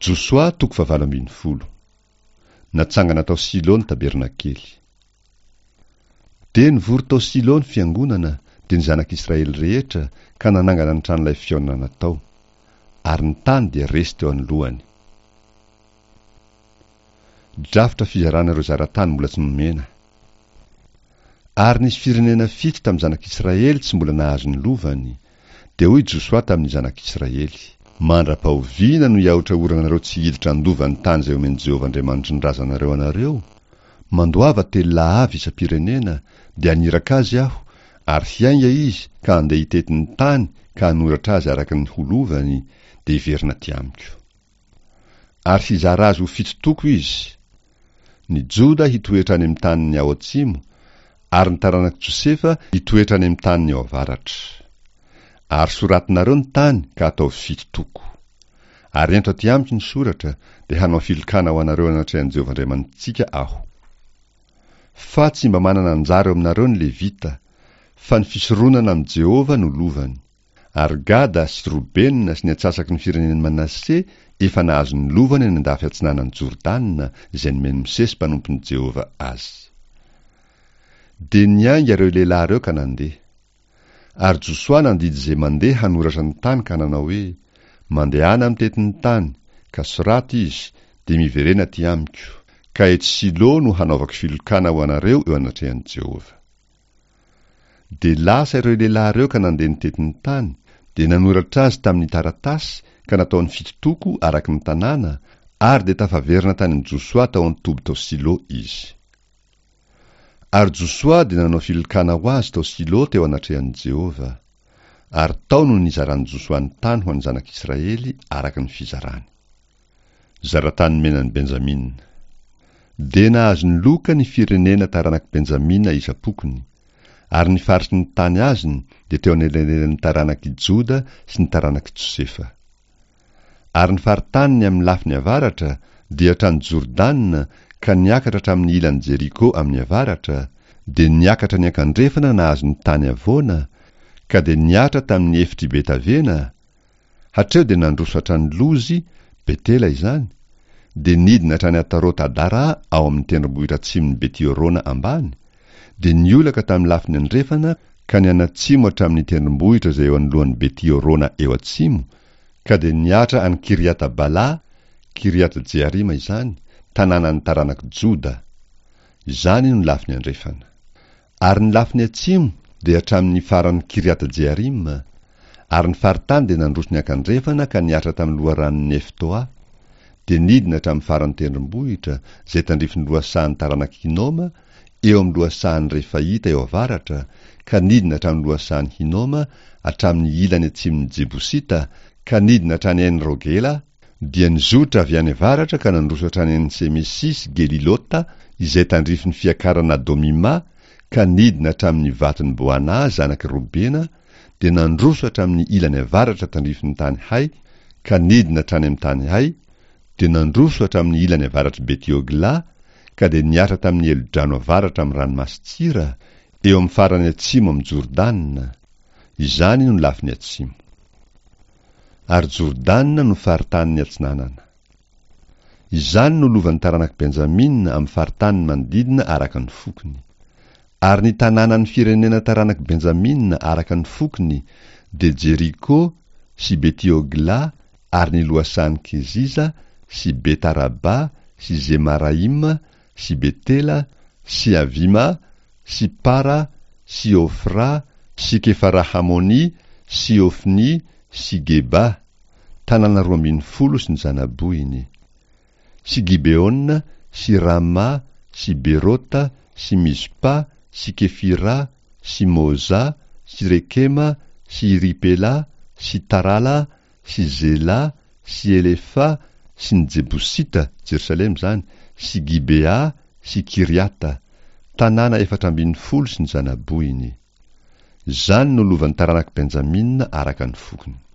Josoa toko fahavalo ambin'ny folo. Natsangana tao Silo ny tabernakely. Dia nivory tao Silo ny fiangonana, dia ny zanak'Israely rehetra, ka nanangana ny tranolay fihaonana tao. Ary ny tany dia resy teo anoloany. Drafitra fizarana ireo zara-tany mbola tsy nomena. Ary nisy firenena fito tamin'ny zanak'Israely tsy mbola nahazo ny lovany. Dia hoy Josoa tamin'ny zanak'Israely. Mandra-pahoviana no hiahotrahoranareo tsy hiditra handova ny tany izay omen'i Jehovah Andriamanitry ny razanareo anareo? Mandoava telo lahy avy isam-pirenena, dia haniraka azy aho, ary hiainga izy ka handeha hitety ny tany ka hanoratra azy araka ny ho lovany, dia hiverina aty amiko. Ary hizara azy ho fito toko izy. Ny Joda hitoetra any amin'ny taniny ao atsimo, ary ny taranak'i Josefa hitoetra any amin'ny taniny ao avaratra. Ary soratinareo ny tany ka ataovy fito toko. Ary ento aty amiko ny soratra, dia hanao filokana ho anareo anatrehan'i Jehovah Andriamanitsika aho. Fa tsy mba manana anjara eo aminareo ny Levita, fa ny fisoronana amin'i Jehovah no lovany. Ary Gada sy Robena sy ny antsasaky ny firenen'i Manase efa nahazo ny lovany any an-dafy atsinanan'i Jordana izay nomen'i Mosesy mpanompon'i Jehovah azy. Dia niainga ireo lehilahy ireo ka nandeha. Ary Josoa nandidy izay mandeha hanoratra ny tany ka nanao hoe, Mandehana mitety ny tany, ka soraty izy, dia miverena aty amiko, ka etsy Silo no hanaovako filokana ho anareo eo anatrehan'i Jehovah. Dia lasa ireo lehilahy ireo ka nandeha nitety ny tany, dia nanoratra azy tamin'ny taratasy ka nataony fito toko araka ny tanàna, ary dia tafaverina tany amin'i Josoa tao an-toby tao Silo izy. Ary Josoa dia nanao filokana ho azy tao Silo teo anatrehan'i Jehovah. Ary tao no nizaran'i Josoa ny tany ho an'ny zanak'Israely araka ny fizarany. Zaratany menan'i Benjamina. Dia nahazo ny loka ny firenena taranak'i Benjamina isam-pokony, ary ny faritry ny tany azony dia teo anelanelan'ny taranak'i Joda sy ny taranak'i Josefa. Ary ny faritaniny amin'ny lafiny avaratra dia hatrany Jordana ka niakatra hatramin'ny ilan'i Jeriko amin'ny avaratra, dia niakatra niankandrefana nahazo ny tany havoana, ka dia nihatra tamin'ny efitr'i Betavena, Hatreo dia nandroso hatrany Lozy, Betela izany, dia nidina hatrany Atarot-Adara ao amin'ny tendrombohitra atsimon'i Beti-Horona ambany, dia niolaka tamin'ny lafiny andrefana ka nianatsimo hatramin'ny tendrombohitra izay eo anoloan'i Beti-Horona eo atsimo, ka dia nihatra any Kiriata-Bala, Kiriat-Jearima izany, tanànan'ny taranak'i Joda. Izany no lafiny andrefana. Ary ny lafiny atsimo dia hatramin' ny faran'i Kiriata-Jearima, ary ny faritany dia nandroso niankandrefana ka nihatra tamin'ny loharanon' i Neftoa, dia nidina hatramin'ny faran'ny tendrombohitra izay tandrifin'ny lohasahan'ny taranak'i Hinoma, eo amin'ny lohasahan'ny Refaita eo avaratra, ka nidina hatramin'ny lohasahan'i Hinoma, hatramin'ny ilany atsimon'ny Jebosita, ka nidina hatrany En-Rogela, dia nizotra avy any avaratra ka nandroso hatrany En-Semesy sy Gelilota, izay tandrifin'ny fiakarana Adomima, ka nidina hatramin'ny vaton'i Bohanà zanak'i Robena, dia nandroso hatramin'ny ilany avaratra tandrifin'ny tany Hay, ka nidina hatrany amin'ny tany Hay, dia nandroso hatramin'ny ilany avaratr'i Beti-Hoglà, ka dia nihatra tamin'ny helodrano avaratra amin'ny Ranomasin-tsira, eo amin'ny farany atsimo amin'i Jordana. Izany no lafiny atsimo. Ary Jordana no faritaniny atsinanana. Izany no lovan'ny taranak'i Benjamina amin'ny faritaniny manodidina araka ny fokony. Ary ny tanànan'ny firenena taranak'i Benjamina araka ny fokony dia Jeriko sy Beti-Hogla ary ny lohasahan'i Keziza sy Bet-Araba sy Zemaraima sy Betela sy Avima sy Para sy Ofra sy Kefara-Hamony sy Ofny sy Geba, tanàna 12 sy ny zana-bohiny, sy Gibeona sy Rama sy Berota sy Mizpa sy Kefira sy Moza sy Rekema sy Iripela sy Tarala sy Zela sy Elefa sy ny Jebosita, Jerosalema izany, sy Gibea sy Kiriata, tanàna 14 sy ny zana-bohiny. Izany no lovan'ny taranak'i Benjamina araka ny fokony.